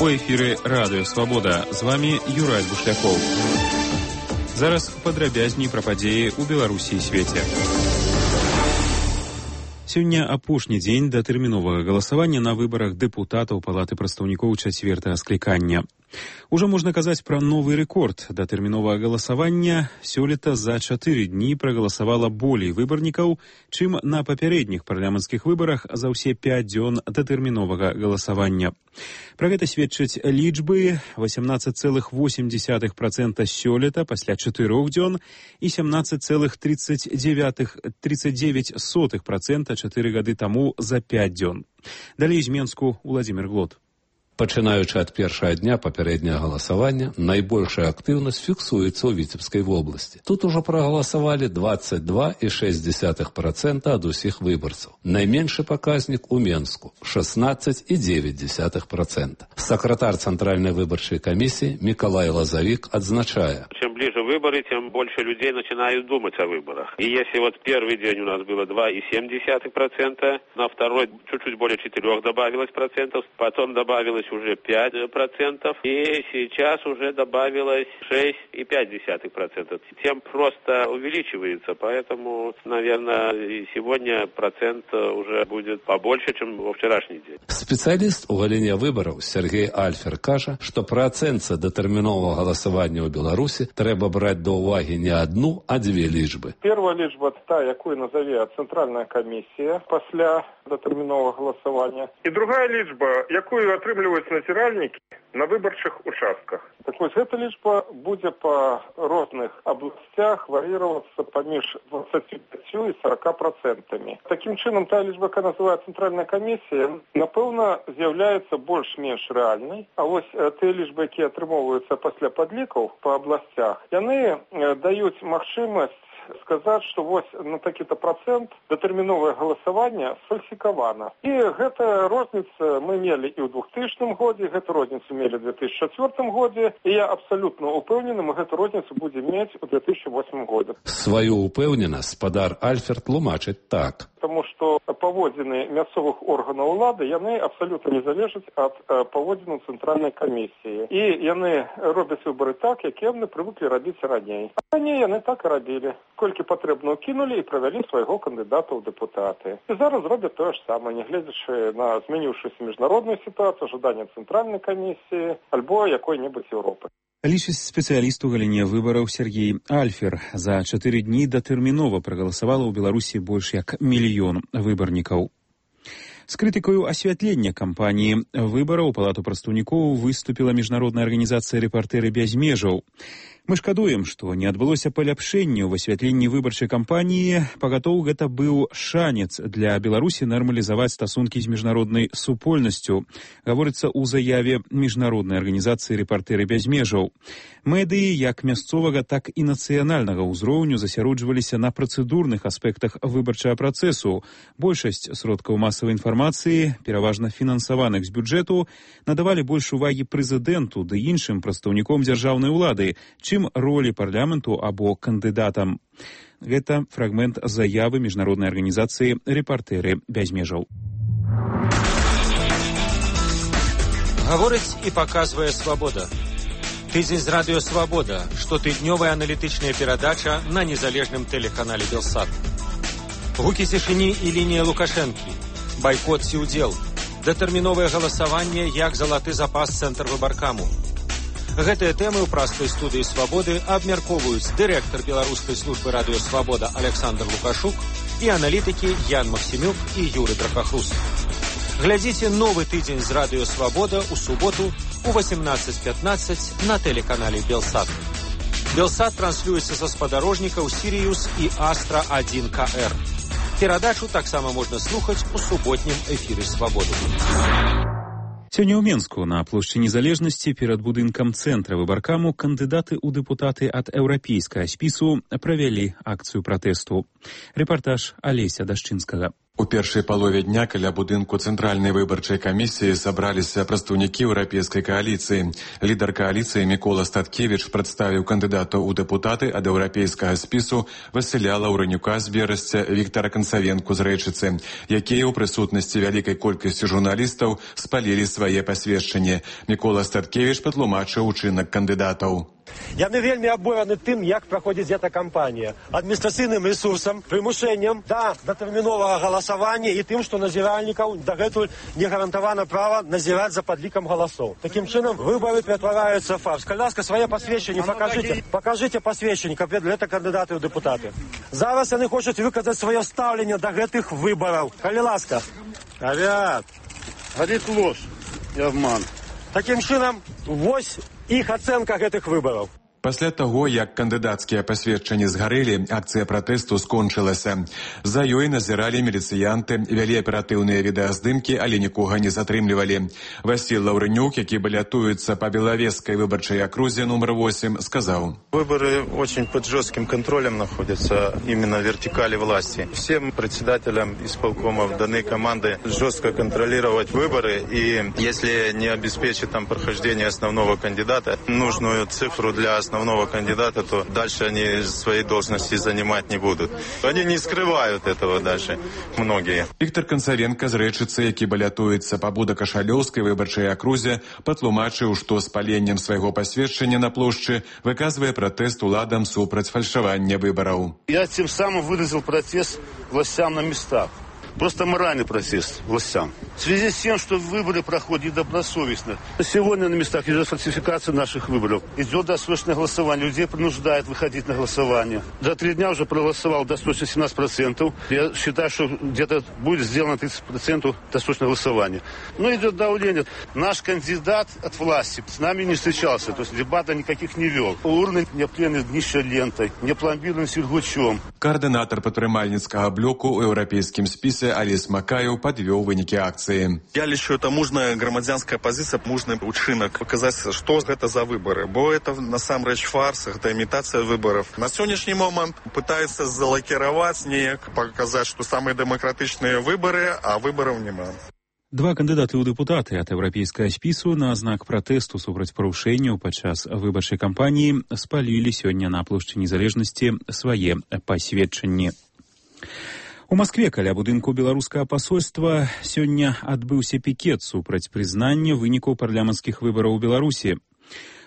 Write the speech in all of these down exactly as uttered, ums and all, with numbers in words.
У эфіры Радыё Свабода. З вами Юрай Бушлякоў. Зараз падрабязней пра падзеі ў Беларусі і свеце. Сёння апошні дзень датэрміновага галасавання на выбарах дэпутатаў Палаты прадстаўнікоў чацвёртага склікання. Ужо можна казаць пра новы рэкорд датэрміновага галасавання. Сёлета за чатыры дні прагаласавала болей выбарнікаў, чым на папярэдніх парламенцкіх выбарах за ўсе пяць дзён датэрміновага галасавання. Пра гэта сведчаць лічбы: восемнадцать целых восемь десятых процента сёлета пасля чатырох дзён і семнадцать целых тридцать девять сотых процента чатыры гады таму за пяць дзён. Далей з Менску Владзімир Глот. Пачынаючы ад першага дня папярэдняга галасавання, найбольшая актыўнасць фіксуецца ў Віцебскай вобласці. Тут ужо прагаласавалі двадцать два і шесть десятых процента ад усіх выбарцаў. Найменшы паказнік у Менску – шестнадцать і девять десятых процента. Сакратар Цэнтральнай выбарчай камісіі Миколай Лазавик адзначае: чем ближе выборы, тем больше людей начинают думать о выборах. И если вот первый день у нас было два и семь десятых процента, на второй чуть-чуть более четырех добавилось процентов, потом добавилось уже пять процентов, и сейчас уже добавилось шесть и пять десятых процента. Тем просто увеличивается, поэтому, наверное, и сегодня процент уже будет побольше, чем во вчерашний день. Спецыяліст у галіне выбараў Сергей Альфер кажа, што пры ацэнцы датэрміновага галасавання ў Беларусі трэба браць да ўвагі не одну, а две лічбы. Первая лічба та, якую назове Цэнтральная камісія пасля датэрміновага галасавання. І другая лічба, якую атрымліваюць назіральнікі на выбарчых участках. Так вось, гэта лічба будзе па розных абласцях вар'іравацца паміж двадцатью пятью і сорока процентамі. Такім чынам, та лічба, якая называе Цэнтральная камісія, напэўна, з'яўляецца больш-менш рэальнай. А вось тыя лічбы, якія атрымоўваюцца пасля падлікаў па абласцях, яны даюць магчымасць сказаць, што вось на такі-то процент датэрміновае галасаванне сфальсікавана. І гэта розніца мы мелі і ў двухтысячным годзе, гэту розніцу мелі ў две тысячи чацвёртым годзе, і я абсалютна ўпэўнены, мы гэту розніцу будзем мець у две тысячи восьмым годзе. Сваю ўпэўненасць спадар Альфер тлумачыць так. Таму што паводзіны мясцовых органаў улады, яны абсалютна не залежаць ад паводзінаў Цэнтральнай камісіі. І яны робяць выбары так, як яны прывыклі рабіць раней. А раней яны так і рабілі. Колькі патрэбна ўкінулі і правялі свайго кандыдата ў дэпутаты. І зараз робяць тое ж самае, нягледзячы на змяніўшуюся міжнародную сітуацыю, жаданне Цэнтральнай камісіі альбо якой-небудзь Еўропы. Лічыць спецыяліст у галіне выбараў Сергей Альфер. За чатыры дні датэрмінова прагаласавала ў Беларусі больш як мільён выбарнікаў. З крытыкаю асвятлення кампаніі выбараў у Палату прадстаўнікоў выступіла міжнародная арганізацыя «Рэпартэры без межаў». Мы шкадуем, што не адбылося паляпшэння ў асвятленні выбарчай кампаніі. Пагатоў, гэта быў шанец для Беларусі нармалізаваць стасункі з міжнароднай супольнасцю, гаворыцца ў заяве міжнароднай арганізацыі «Рэпартэры без межаў». Медыі як мясцовага, так і нацыянальнага ўзроўню засяроджваліся на працэдурных аспектах выбарчага працэсу. Большасць сродкаў масавай інфармацыі, пераважна фінансаваных з бюджэту, надавалі больш увагі прэзідэнту ды іншым прадстаўніком дзяржаўнай улады, чым ролі парламенту або кандыдатам. Гэта фрагмент заявы міжнароднай арганізацыі «Рэпартэры без межаў». Гаворыць і паказвае «Свабода». Тыдзень з радыё «Свабода», штотыднёвая аналітычная перадача на незалежным тэлеканале «Белсат». Гукі цішыні і лінія Лукашэнкі. Байкот ці ўдзел. Датэрміновае галасаванне як залаты запас цэнтр выбаркаму. Гэтыя тэмы ў праскай студыі «Свабоды» абмяркоўваюць дырэктар беларускай службы радыё «Свабода» Александр Лукашук і аналітыкі Ян Максімюк і Юры Драпахрус. Глядзіце новы тыдзень з радыё «Свабода» у суботу у восемнадцать пятнадцать на тэлеканале «Белсат». «Белсат» транслюецца са спадарожнікаў «Сіриус» і «Астра один ка эр». Перадачу таксама можна слухаць у суботнім эфіры «Свабоды». Сёння ў Менску на плошчы Незалежнасці перад будынкам цэнтра выбаркаму кандыдаты ў дэпутаты ад еўрапейскага спісу правялі акцыю пратэсту. Рэпартаж Алеся Дашчынскага. У першай палове дня каля будынку Цэнтральнай выбарчай камісіі сабраліся прадстаўнікі еўрапейскай кааліцыі. Лідар кааліцыі Мікола Статкевіч прадставіў кандыдатаў у дэпутаты ад еўрапейскага спісу Васіля Лаўрэнюка з Берасця, Віктара Канцавенку з Рэчыцы, якія ў прысутнасці вялікай колькасці журналістаў спалілі свае пасведчанні. Мікола Статкевіч патлумачыў учынак кандыдатаў. Яны вельмі абураны тым, як праходзіць гэта кампанія. Адміністрацыйным рэсурсам, прымушэннем да датэрміновага галасавання і тым, што назіральнікаў дагэтуль не гарантавана права назіраць за падлікам галасоў. Такім чынам, выбары ператвараюцца ў фарс. Калі ласка, свае пасведчанні пакажыце. Пакажыце пасведчанні, каб гэта кандыдаты ў дэпутаты. Зараз яны хочуць выказаць сваё стаўленне да гэтых выбараў. Калі ласка. Авіат. Гадзіць ложь і абман. Такім чынам, вось іх ацэнка гэтых выбараў. Пасля таго, як кандыдацкія пасведчанні згарэлі, акцыя пратэсту скончылася. За ёй назіралі міліцыянты, вялі аператыўныя відэаздымкі, але нікога не затрымлівалі. Васіль Лаўрэнюк, які балятуецца па Белавежскай выбарчай акрузе нумар восемь, сказаў: Выборы очень под жестким контролем находятся, именно вертикали власти. Всем председателям исполкомов данной команды жестко контролировать выборы, и если не обеспечить там прохождение основного кандидата, нужную цифру для основного основного кандидата, то дальше они своей должности занимать не будут. Они не скрывают этого даже, многие. Віктар Канцавенка з Рэчыцы, які балятуецца па Будакашалёўскай выбарчай акрузе, патлумачыў, што з паленнем свайго пасведчання на плошчы выказвае пратэст уладам супраць фальшавання выбараў. Я тем самым выразил протест властям на местах. Просто моральный протест властям. В связи с тем, что выборы проходят недобросовестно. Сегодня на местах идет фальсификация наших выборов. Идет досрочное голосование. Людей принуждают выходить на голосование. За три дня уже проголосовал досрочно семнадцать процентов. Я считаю, что где-то будет сделано тридцать процентов досрочного голосования. Но идет давление. Наш кандидат от власти с нами не встречался. То есть дебатов никаких не вел. Урны не обклеены днища лентой, не пломбированы сельгучом. Координатор падтрымальніцкага блоку ў еўрапейскім спісе Аліс Макаев подвел выники акции. Я лічу, это мужная громадянская позиция, мужный учинок. Показать, что это за выборы. Бо это насамрэч фарс, это имитация выборов. На сегодняшний момент пытаются залакировать, неяк показать, что самые демократичные выборы, а выборов нема. Два кандыдаты ў дэпутаты ад еўрапейскага спісу на знак пратэсту супраць парушэнняў падчас выбарчай кампаніі спалілі сёння на плошчы Незалежнасці свае пасведчанні. У Маскве каля будынку беларускага пасольства сёння адбыўся пікет супраць прызнання вынікаў парламенцкіх выбараў у Беларусі.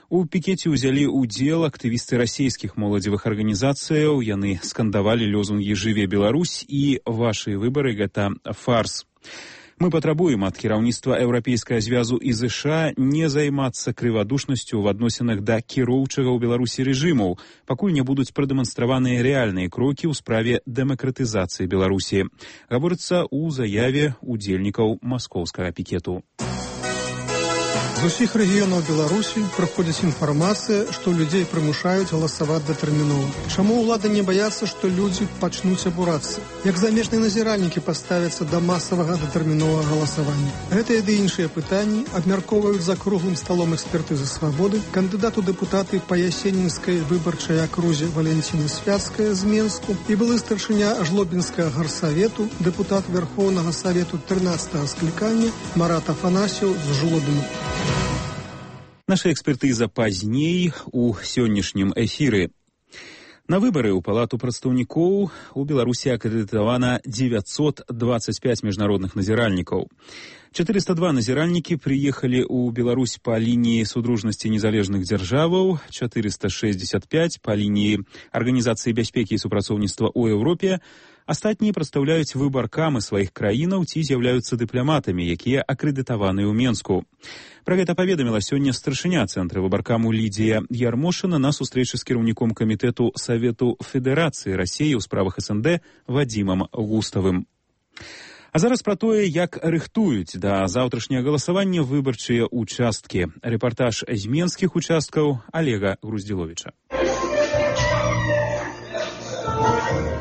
У пікеце ўзялі ўдзел актывісты расійскіх моладзевых арганізацыяў, яны скандавалі лозунгі «Жыве Беларусь» і «Вашы выбары – гэта фарс». Мы патрабуем ад кіраўніцтва Еўрапейскага звязу і ЗША не займацца крывадушнасцю ў адносінах да кіроўчага ў Беларусі рэжымаў, пакуль не будуць прадэманстраваныя рэальныя крокі ў справе дэмакратызацыі Беларусі, гаворыцца ў заяве удзельнікаў маскоўскага пікету. З усіх рэгіёнаў Беларусі праходзіць інфармацыя, што людзей прымушаюць галасаваць датэрмінова. Чаму ўлады не баяцца, што людзі пачнуць абурацца? Як замежныя назіральнікі паставяцца да масавага датэрміновага галасавання? Гэтыя ды іншыя пытанні абмяркоўваюць за круглым сталом экспертызы свабоды кандыдат у дэпутаты па Ясенінскай выбарчай акрузе Валентина Свяцкая з Менску і былы старшыня Жлобінскага гарсавету, дэпутат Верхоўнага Савету трынаццатага склікання Марат Афанасьеў з Жлобіна. Наша экспертыза пазней у сённяшнім эфіры. На выбары ў палату прадстаўнікоў у Беларусі акрэдытавана дзевяцьсот дваццаць пяць міжнародных назіральнікаў. четыреста два назіральнікі прыехалі ў Беларусь па лініі судружнасці незалежных дзяржаваў, четыреста шэсцьдзесят пяць па лініі Арганізацыі бяспекі і супрацоўніцтва ў Еўропе. Астатнія прадстаўляюць выбаркамы сваіх краінаў ці з'яўляюцца дыпламатамі, якія акрэдытаваныя ў Менску. Пра гэта паведаміла сёння старшыня цэнтра выбаркаму Лідзія Ярмошына на сустрэчы з кіраўніком камітэту Савету Федэрацыі Расіі ў справах СНД Вадзімам Густавым. А зараз пра тое, як рыхтуюць да заўтрашняга галасавання выбарчыя участкі. Рэпартаж з менскіх участкаў Олега Груздзіловіча.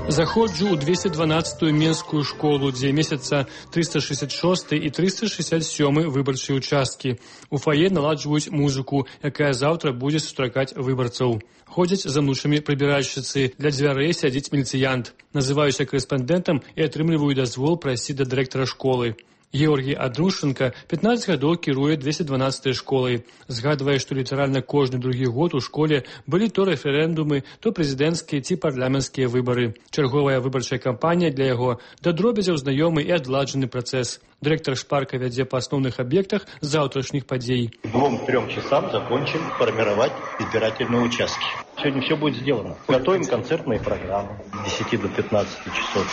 Заходжу ў двести дванадцатую менскую школу, дзе месяца триста шестьдесят шесты і триста шестьдесят сёмы выбарчыя участкі. У фае наладжваюць музыку, якая заўтра будзе сустракаць выбарцаў. Ходзяць за мнушамі прыбіральшчыцы, для дзвярэй сядзіць міліцыянт. Называюся корэспандэнтам і атрымліваю дазвол прайсці да дырэктара школы. Георгій Андрушенко пятнадцать гадоў кіруе двести дванадцатай школай. Згадвае, што літаральна кожны другі год у школе былі то рэферэндумы, то прэзідэнцкія ці парламенцкія выбары. Чарговая выбарчая кампанія для яго да дробязяў знаёмы і адладжаны працэс. Дырэктар шпарка вядзе па асноўных аб'ектах заўтрашніх падзей. К двум-трем часам закончим формировать избирательные участки. Сегодня все будет сделано. Готовим концертные программы с десяти до пятнадцати часов.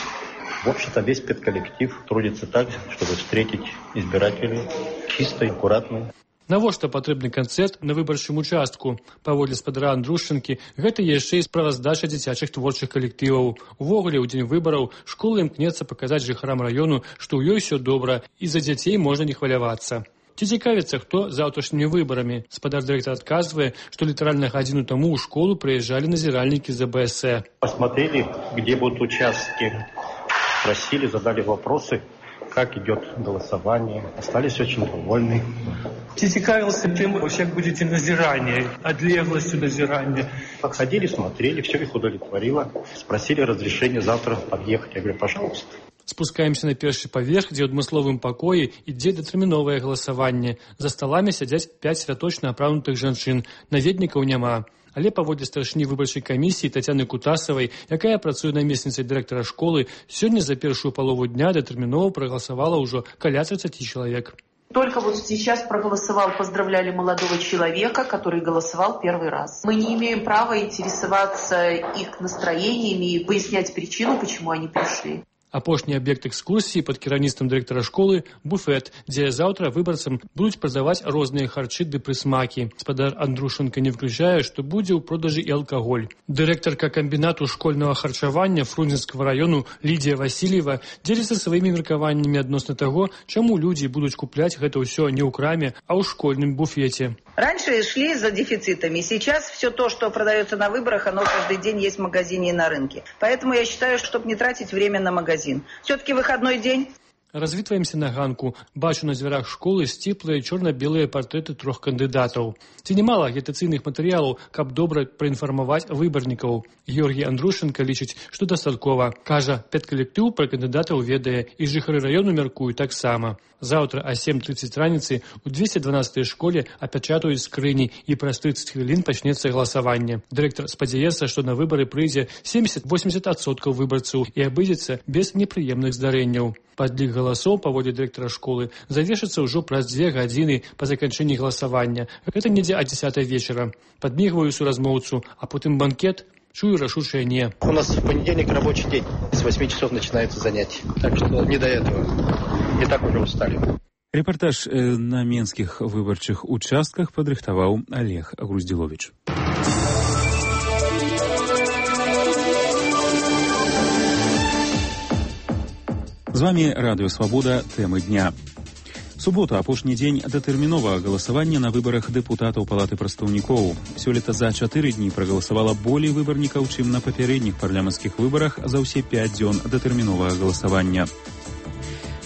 В общем-то, весь педколлектив трудится так, чтобы встретить избирателей чисто и аккуратно. Навошта патрэбны канцэрт на выбарчым участку? Паводле спадара Андрушчынкі, гэта яшчэ і справаздача дзіцячых творчых калектываў. Увогуле, у дзень выбараў школа імкнецца паказаць жыхарам раёну, што ў ёй усё добра, і за дзяцей можна не хвалявацца. Ці цікавіцца, хто заўтрашнімі выбарамі? Спадар дырэктар адказвае, што літаральна гадзіну таму ў школу прыязджалі назіральнікі з бэ эс э. Посмотрели, где будут участки. Спросили, задали вопросы, как идет голосование. Остались очень довольны. Ці цікавился, чем вы вообще будете назирание, отлеглостью назирания? Подходили, смотрели, все их удовлетворило. Спросили разрешение завтра подъехать. Я говорю, пожалуйста. Спускаемся на першы паверх, дзе ў адмысловым пакоі ідзе датэрміновае галасаванне. За сталамі сядзяць пяць святочна апранутых жанчын. Наведнікаў няма. Але паводле старшыні выбарчай камісіі Тацяны Кутасавай, якая працуе намесніцай дырэктара школы, сёння за першую палову дня датэрмінова прагаласавала ўжо каля тридцати чалавек. Только вот сейчас проголосовал, поздравляли молодого человека, который голосовал первый раз. Мы не имеем права интересоваться их настроениями и пояснять причину, почему они пришли. Апошні аб'ект экскурсіі пад кіраўніцтвам дырэктара школы – буфет, дзе заўтра выбарцам будуць прадаваць розныя харчы ды прысмакі. Спадар Андрушенко не выключае, што будзе ў продажы і алкаголь. Дырэктарка камбінату школьнага харчавання Фрунзенскага раёну Лідія Васильева дзеліцца сваімі меркаваннямі адносна таго, чаму людзі будуць купляць гэта ўсё не ў краме, а ў школьным буфеце. Раньше шли за дефицитами. Сейчас все то, что продается на выборах, оно каждый день есть в магазине и на рынке. Поэтому я считаю, чтобы не тратить время на магазин. Все-таки выходной день. Развітваемся на ганку. Бачу на дзвярах школы сціплыя чорна-белыя партрэты трох кандыдатаў. Ці немала агітацыйных матэрыялаў, каб добра праінфармаваць выбарнікаў. Георгій Андрушенко лічыць, што дастаткова. Кажа, педкалектыў пра кандыдатаў ведае, і жыхары раёну мяркуюць таксама. Заўтра а сем тридцать раніцы у двести дванадцатай школе апячатаюць скрыні, і праз тридцать хвілін пачнецца галасаванне. Дырэктар спадзяецца, што на выбары прыйдзе семьдесят-восемьдесят адсоткаў выбарцаў і абыдзецца без непрыемных здарэнняў. Падлік галасоў, паводле дырэктара школы, завершыцца ўжо праз дзве гадзіны па заканчэнні галасавання. Гэта недзе а дзесятай вечара. Падмігваю суразмоўцу, а потым банкет, чую рашучае не. У нас в понедельник рабочий день. С восьми часов начинаются занятия. Так что не до этого. И так уже устали. Рэпартаж на менскіх выбарчых участках падрыхтаваў Олег Груздзіловіч. З вами Радыё Свабода, тэмы дня. Субота, апошні дзень датэрміновага галасавання на выбарах дэпутатаў Палаты прадстаўнікоў. Сёлета за чатыры дні прагаласавала болей выбарнікаў, чым на папярэдніх парламенцкіх выбарах за ўсе пяць дзён датэрміновага галасавання.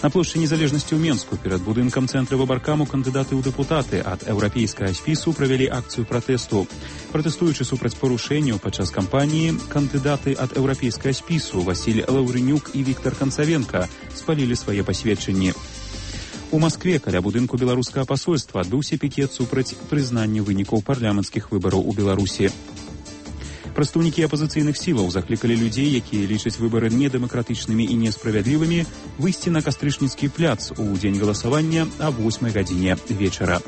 На плошчы Незалежнасці ў Менску перад будынкам цэнтра выбаркаму кандыдаты ў дэпутаты ад еўрапейскага спісу правялі акцыю пратэсту. Пратэстуючы супраць парушэнняў падчас кампаніі, кандыдаты ад еўрапейскага спісу Васіль Лаўрынюк і Віктар Канцавенка спалілі свае пасведчанні. У Маскве каля будынку беларускага пасольства адбыўся пікет супраць прызнання вынікаў парламенцкіх выбараў у Беларусі. Прадстаўнікі апазіцыйных сілаў заклікалі людзей, якія лічаць выбары недэмакратычнымі і несправядлівымі, выйсці на Кастрычніцкі пляц у дзень галасавання а восьмай гадзіне вечара.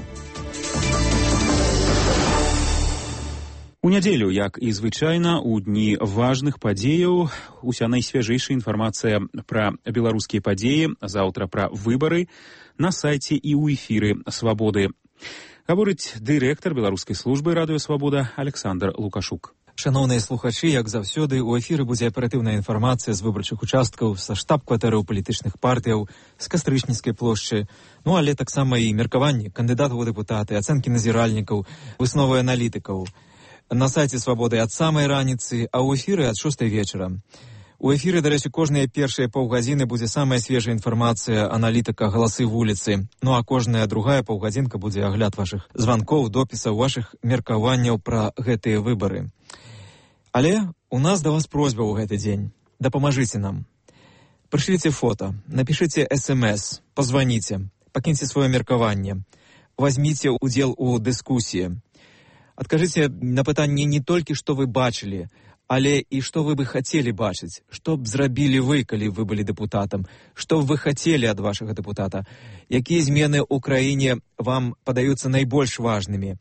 У нядзелю, як і звычайна, у дні важных падзеяў, уся найсвяжэйшая інфармацыя пра беларускія падзеі, заўтра пра выбары, на сайце і ў эфіры Свабоды. Гаворыць дырэктар беларускай службы Радыё Свабода Александр Лукашук. Шановныя слухачы, як заўсёды, у эфіры будзе аператыўная інфармацыя з выбарчых участкаў, са штаб-кватэраў палітычных партыяў, з Кастрычніцкай плошчы, ну але таксама і меркаванні кандыдатаў у дэпутаты, ацэнкі назіральнікаў, высновы аналітыкаў. На сайце Свабоды ад самай раніцы, а ў эфіры ад шостай вечара. У эфіры, дарэчы, кожныя першыя паўгадзіны будзе самая свежая інфармацыя аналітыка «Галасы вуліцы». Ну а кожная другая паўгадзінка будзе агляд вашых званкоў, допісаў, вашых меркаванняў пра гэтыя выбары. Але у нас да вас просьба ў гэты дзень. Дапамажыце нам. Прышліце фота, напішыце эс эм эс, пазваніце, пакіньце сваё меркаванне, возьміце ўдзел у дыскусіі. Адкажыце на пытанне не толькі, што вы бачылі, але і што вы бы хацелі бачыць, што б зрабілі вы, калі вы былі дэпутатам, што б вы хацелі ад вашага дэпутата, якія змены ў краіне вам падаюцца найбольш важнымі.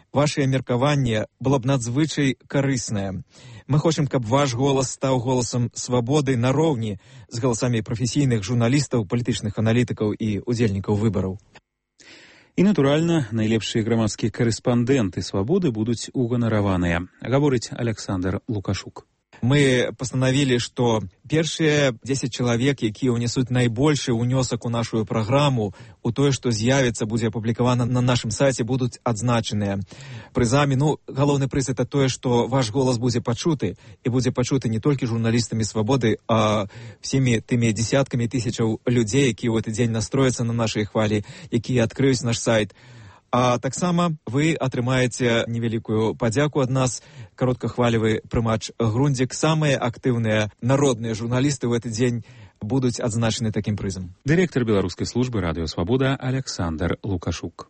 Вашае меркаванне было б надзвычай карыснае. Мы хочам, каб ваш голас стаў голасам свабоды нароўні з галасамі прафесійных журналістаў, палітычных аналітыкаў і удзельнікаў выбараў. І, натуральна, найлепшыя грамадскія карэспандэнты свабоды будуць уганараваныя, гаворыць Александр Лукашук. Мы пастанавілі, што першыя дзесяць чалавек, якія ўнесуць найбольшы ўнёсак у нашу праграму, у тое, што з'явіцца, будзе апублікавана на нашым сайце, будуць адзначаныя прызамі. Ну, галоўны прыз — это тое, што ваш голас будзе пачуты, і будзе пачуты не толькі журналістамі свабоды, а всімі тымі дзесяткамі тысячаў людзей, якія ў гэты дзень настрояцца на нашай хвалі, якія адкрыюць наш сайт. А таксама вы атрымаеце невялікую падзяку ад нас, кароткахвалевы прымач Грундзік. Самыя актыўныя народныя журналісты ў гэты дзень будуць адзначаны такім прызам. Дырэктар беларускай службы радыё «Свабода» Александр Лукашук.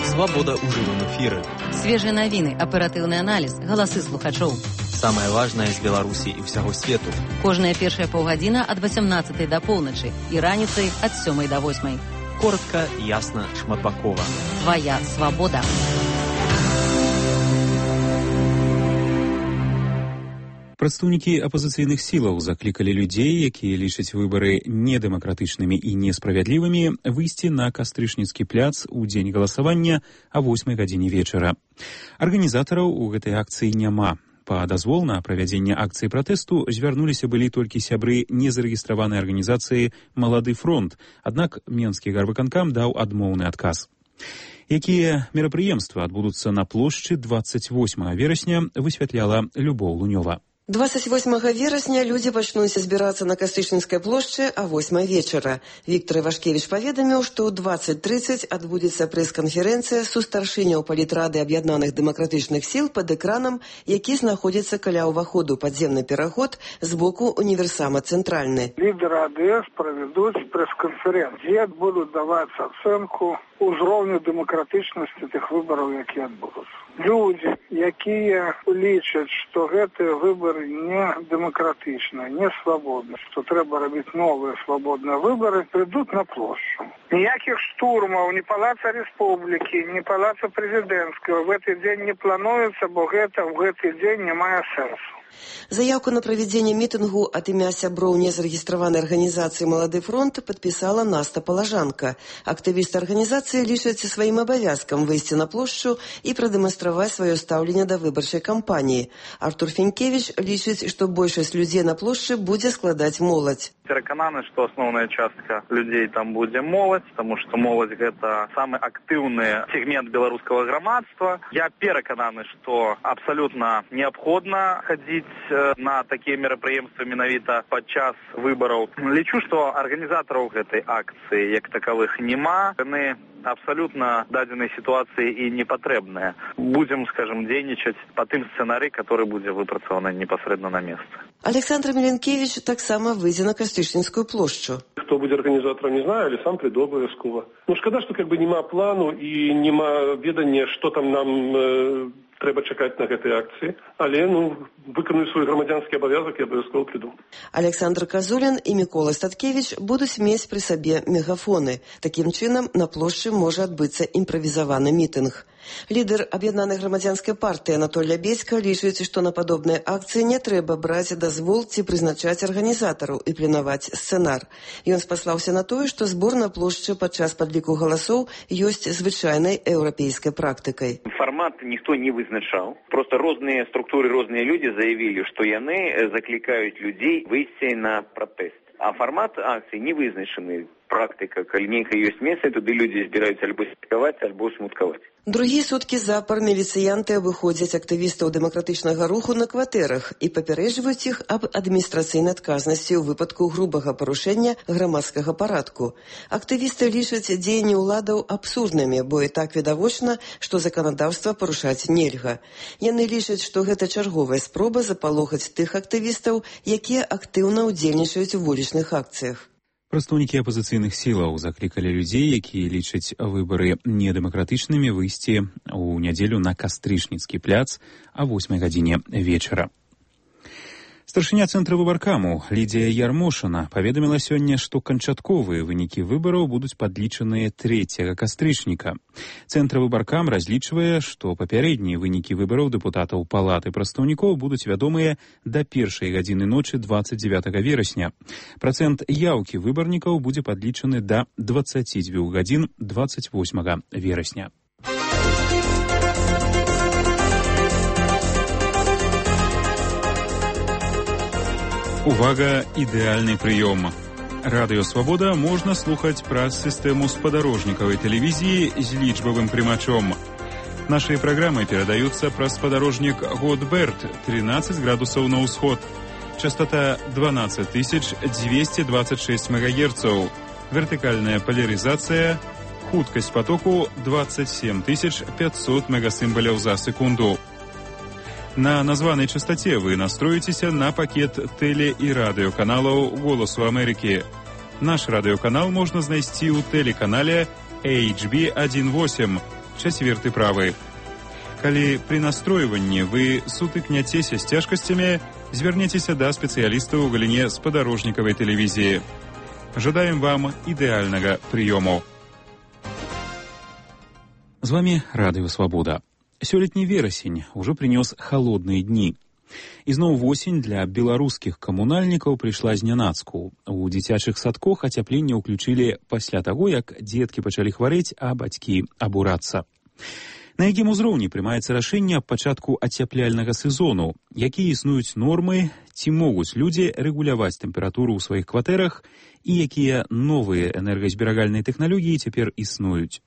Свабода ў жывым эфіры. Свежыя навіны, аператыўны аналіз, галасы слухачоў. Самае важнае з Беларусі і ўсяго свету. Кожная першая паўгадзіна ад васямнаццатай да поўначы і раніцай ад сёмай да восьмай. Коротка, ясна, шматбакова. Твая свабода. Прадстаўнікі апазіцыйных сілаў заклікалі людзей, якія лічаць выбары недэмакратычнымі і несправядлівымі, выйсці на Кастрычніцкі пляц у дзень галасавання а восьмай гадзіне вечара. Арганізатараў у гэтай акцыі няма. Па дазвол на правядзенне акцыі пратэсту звярнуліся былі толькі сябры незарэгістраванай арганізацыі «Малады фронт», аднак Менскі гарвыканкам даў адмоўны адказ. Якія мерапрыемствы адбудуцца на плошчы дваццаць восьмага верасня, высвятляла Любоў Лунёва. двадцать восьмага верасня людзі пачнуць збірацца на Кастрычніцкай плошчы а восьмай вечара. Віктор Івашкевіч паведаміў, што ў двадцать трыццаць адбудзецца прэс-канферэнцыя сустаршыняў палітрады аб'яднаных дэмакратычных сіл пад экранам, які знаходзіцца каля ўваходу падземны пераход з боку універсама «Цэнтральны». Лідары АДС правядуць прэс-канферэнцыю, дзе будуць даваць ацэнку узроўню дэмакратычнасці тых выбараў, якія адбудуцца. Людзі, якія лічаць, што гэтыя выбары не дэмакратычныя, не свабодныя, што трэба рабіць новыя свабодныя выбары, прыйдуць на плошчу. Ніякіх штурмаў, ні палаца Рэспублікі, ні палаца прэзідэнцкага в гэты дзень не плануецца, бо гэта ў гэты дзень не мае сэнсу. Заявку на правядзенне мітынгу ад імя сяброў незарэгістраванай арганізацыі «Малады фронт» падпісала Наста Палажанка. Актывісты арганізацыі лічаць сваім абавязкам выйсці на плошчу і прадэманстраваць сваё стаўленне да выбарчай кампаніі. Артур Фенькевіч лічыць, што большасць людзей на плошчы будзе складаць моладзь. Перакананы, што асноўная частка людзей там будзе моладзь, таму што моладзь гэта самы актыўны сегмент беларускага грамадства. Я перакананы, што абсалютна неабходна хадзіць на такія мерапрыемствы менавіта падчас выбараў. Лічу, што арганізатараў гэтай акцыі як такавых няма. Яны абсалютна дадзенай сітуацыі і не патрэбныя. Будзем, скажем, дзейнічаць па тым сцэнарый, который будзе выпрацаваны непасрэдна на месцы. Александр Міленкевич таксама выйдзе на Кастрычніцкую плошчу. Хто будзе арганізатарам, не знаю, але сам прыйду абавязкова. Ну, шкада, што как бы няма плану і няма ведання, што там нам э, трэба чакаць на гэтай акцыі, але ну выканую свой грамадзянскі абавязак і абавязкова прыйду. Александр Казулін і Мікола Статкевіч будуць мець пры сабе мегафоны. Такім чынам на плошчы можа адбыцца імправізаваны мітынг. Лідар аб'яднанай грамадзянскай партыі Анатоль Лябедзька лічыць, што на падобныя акцыі не трэба браць дазвол ці прызначаць арганізатараў і пленаваць сцэнар. Ён спаслаўся на тое, што збор на плошчы падчас падліку галасоў ёсць звычайнай еўрапейскай практыкай. Фармат ніхто не вызначаў. Просто розныя структуры, розныя людзі заявілі, што яны заклікаюць людзей выйсці на пратэст. А фармат акцыі не вызначаны. практыка, калі нейкае ёсць месца, туды людзі збіраюцца альбо святкаваць, альбо смуткаваць. Другі суткі запар міліцыянты абыходзяць актывістаў дэмакратычнага руху на кватэрах і папярэджваюць іх аб адміністрацыйнай адказнасці ў выпадку грубага парушэння грамадскага парадку. Актывісты лічаць дзеянні ўладаў абсурднымі, бо і так відавочна, што заканадаўства парушаць нельга. Яны лічаць, што гэта чарговая спроба запалохаць тых актывістаў, якія актыўна ўдзельнічаюць у вулічных акцыях. Прадстаўнікі апазіцыйных сілаў заклікалі людзей, якія лічаць выбары недэмакратычнымі, выйсці ў нядзелю на Кастрычніцкі пляц а восьмай гадзіне вечара. Старшыня цэнтра выбаркаму Лідія Ярмошына паведаміла сёння, што канчатковыя вынікі выбараў будуць падлічаныя трэцяга кастрычніка. Цэнтр выбаркам разлічвае, што папярэднія вынікі выбараў дэпутатаў палаты прадстаўнікоў будуць вядомыя да першай гадзіны ночы дваццаць дзевятага верасня. Працэнт яўкі выбарнікаў будзе падлічаны да дваццаці дзвюх гадзін дваццаць восьмага верасня. Увага, ідэальны прыём. Радыё Свабода можна слухаць праз сістэму спадарожнікавай тэлевізіі з лічбавым прымачом. Нашыя праграмы перадаюцца праз спадарожнік Годберт тринадцать градусаў на ўсход. Частота дванадцать тысяч двести двадцать шесть мегагерцаў. Вертыкальная поляризация. Хуткасць потоку двадцать семь тысяч пятьсот мегасімбаляў за секунду. На названай частоте вы настроитеся на пакет тэле- і радыёканалаў «Голосу Амерыкі». Наш радыёканал можна знайсці ў тэлеканале эйч би один восемь, чацверты правы. Калі пры настройванні вы сутыкняцеся з цяжкасцямі, звярнецеся да спецыялістаў у галіне спадарожнікавай тэлевізіі. Жадаем вам ідэальнага прыёму. З вамі Радыё Свабода. Сёлетні верасень ужо прынёс халодныя дні. Ізноў восень для беларускіх камунальнікаў прыйшла знянацку. У дзіцячых садках ацяпленне ўключылі пасля таго, як дзеткі пачалі хварэць, а бацькі абурацца. На якім узроўні прымаецца рашэнне аб пачатку ацяпляльнага сезону, якія існуюць нормы, ці могуць людзі рэгуляваць тэмпературу ў сваіх кватэрах і якія новыя энергазберагальныя тэхналогіі цяпер існуюць.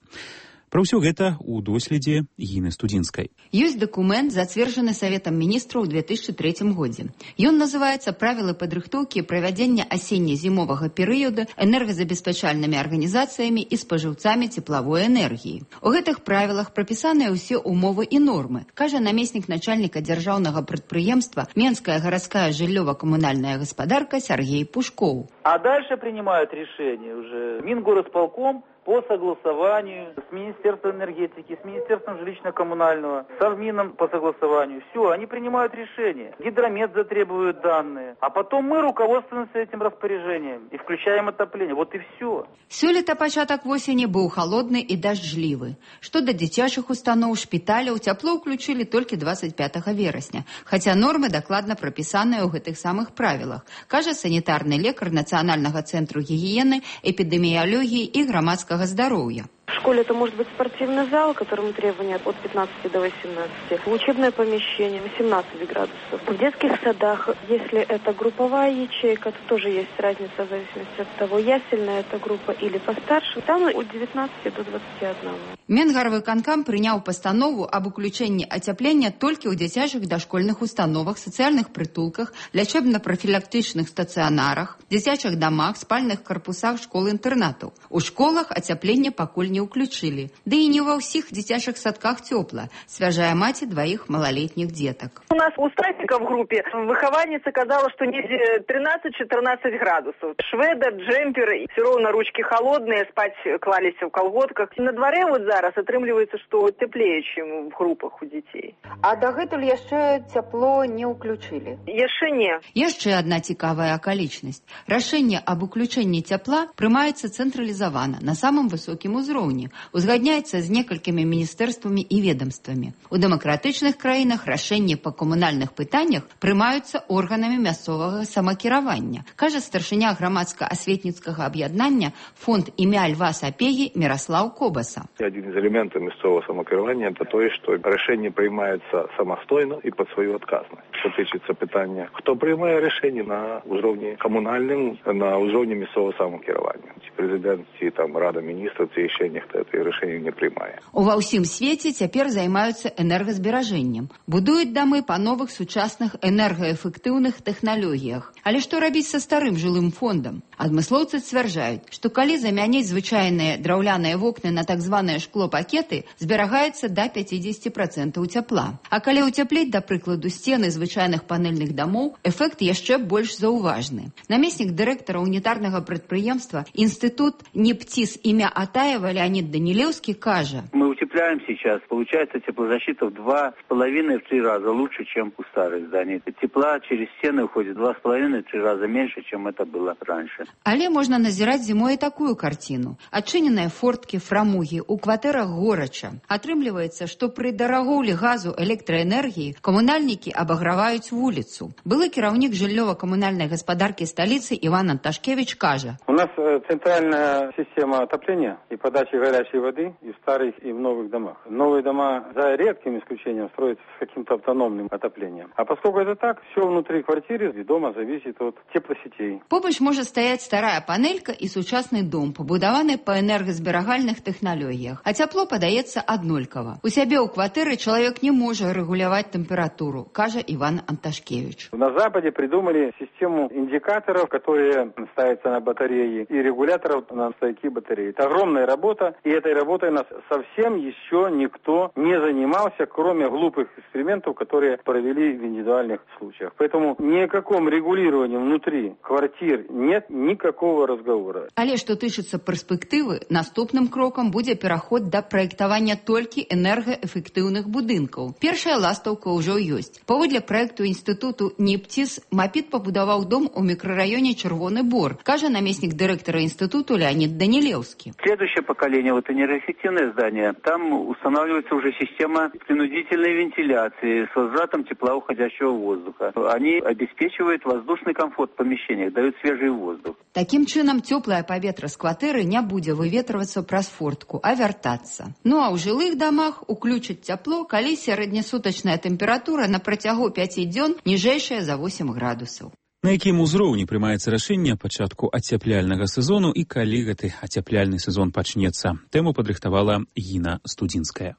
Пра ўсё гэта ў доследзе Гіны Студзінскай. Ёсць дакумент, зацверджаны Саветам міністраў у две тысячи третьем годзе. Ён называецца «Правілы падрыхтоўкі і правядзення асенне-зімовага перыяда энергазабеспячальнымі арганізацыямі і спажыўцамі цеплавой энергіі». У гэтых правілах прапісаныя ўсе умовы і нормы, кажа намеснік начальніка дзяржаўнага прадпрыемства Менская гарадская жыллёва-камунальная гаспадарка Сергей Пушков. А дальше принимают решение уже Мингорисполком по согласованию с Министерством энергетики, с Министерством жилищно-коммунального, с Совмином по согласованию. Все, они принимают решение. Гидромет затребует данные. А потом мы руководствуемся этим распоряжением и включаем отопление. Вот и все. Сёлета пачатак восені быў холодны і дажджлівы. Што да дзіцячых устаноў, шпіталяў, цяпло ўключылі толькі двадцать пятага верасня. Хаця нормы дакладна прапісаныя ў гэтых самых правілах, кажа санітарны лекар Нацыянальнага цэнтру гігіены, эпідэміялогіі і грамадскага здоровья. В школе это может быть спортивный зал, которому требования от пятнадцати до восемнадцати. Учебное помещение восемнадцать градусов. В детских садах, если это групповая ячейка, то тоже есть разница в зависимости от того, ясельная это группа или постарше. Там от девятнадцати до двадцати одного. Менгарвыканкам прыняў пастанову аб уключэнні ацяплення толькі ў дзіцячых дашкольных установах, сацыяльных прытулках, лячэбна-прафілактычных стацыянарах, дзіцячых дамах, спальных карпусах школ-інтэрнатаў. У школах ацяпленне пакуль не ўключылі. Ды і не ва ўсіх дзіцячых садках цёпла, свяжая маці двоих малолетних деток. У нас у Стасика в группе выхованница казала, что не тринадцать-четырнадцать градусов. Шведа, джемпер, все равно ручки холодные, спать клались в колготках. На дворе вот зараз атрымліваецца, что теплее, чем в группах у детей. А дагэтуль яшчэ цяпло не ўключылі? Яшчэ не. Яшчэ одна цікавая акалічнасць. Рашэнне аб уключэнні цяпла прымаецца цэнтралізавана на самым высокім узроўні. узроўні узгадняецца з некалькімі міністэрствамі і ведомствамі. У дэмакратычных краінах рашэнні па камунальных пытаннях прымаюцца органамі мясцовага самакіравання, кажа старшыня грамадска-асветніцкага аб'яднання фонд імя Льва Сапегі Міраслаў Кобаса. Один из элементов мясцового самакіравання – это то, что решение принимается самостойно и под свою отказность. Что тычется питання, хто приймає рішення на узровні комунальному, на узровні місцевого самокерування. Президент ці там Рада міністрів ці ще ніхто це рішення не приймає. Ува ўсім свеце цяпер займаюцца энергазберажэннем. Будуюць дамы па новых сучасных энергаэфектыўных тэхналогіях. Але што рабіць са старым жылым фондам? Адмыслоўцы сцвярджаюць, што калі замяніць звычайныя драўляныя вокны на так званыя шклопакеты, зберагаецца да пяцідзесяці працэнтаў цяпла. А калі ўцяпліць, да прыкладу, сцены звычайных панельных дамоў, эфект яшчэ больш заўважны. Намеснік дырэктара унітарнага прадпрыемства Институт НИПТИС имя Атаева Леонид Данилевский кажа: мы утепляем сейчас, получается теплозащита в два с половиной, в три раза лучше, чем у старых зданий. Тепла через стены уходит два с половиной, в три раза меньше, чем это было раньше. Але можна назіраць зімой такую картину. Адчыненыя форткі, фрамугі, у кватэрах горача. Атрымліваецца, што пры дарагоўлі газу электраэнергіі камунальнікі абаграваюць вуліцу. Былы кіраўнік жыллёва-камунальнай гаспадаркі сталіцы Иван Анташкевич кажа: у нас центральная система отопления и подачи горячей воды и в старых, и в новых домах. Новые дома, за редким исключением, строятся с каким-то автономным отоплением. А поскольку это так, все внутри квартиры и дома зависит от теплосетей. Побач можа стаяць старая панелька і сучасны дом, пабудаваны па энергазберагальных тэхналогіях, а цяпло падаецца аднолькава. У сябе ў кватэры чалавек не можа рэгуляваць тэмпературу, кажа Иван Анташкевич. На Западе придумали систему индикаторов, которые ставятся на батареи, и регуляторов на стойки батареи. Это огромная работа, и этой работой нас совсем еще никто не занимался, кроме глупых экспериментов, которые провели в индивидуальных случаях. Поэтому ни о каком регулировании внутри квартир нет никакого разговора. Але што тычыцца перспектывы, наступным крокам будзе пераход да праектавання толькі энергаэфектыўных будынкаў. Першая ластаўка ўжо ёсць. Паводле праекту інстытуту НИПТИС МАПИТ пабудаваў дом у мікрараёне Чырвоны Бор, кажа намеснік дырэктара института Леонид Данилевский. Следующее поколение, вот энергоэффективное здание, там устанавливается уже система принудительной вентиляции с возвратом тепла уходящего воздуха. Они обеспечивают воздушный комфорт в помещениях, дают свежий воздух. Таким чынам цёплае паветра з кватэры не будзе выветрывацца праз фортку, а вяртацца. Ну а ў жылых дамах уключаць цяпло, калі сярэднесутачная тэмпература на працягу пяці дзён ніжэйшая за восем градусаў. На якім узроўні прымаецца рашэнне пачатку ацяпляльнага сезону і калі гэты ацяпляльны сезон пачнецца? Тэму падрыхтавала Гіна Студзінская.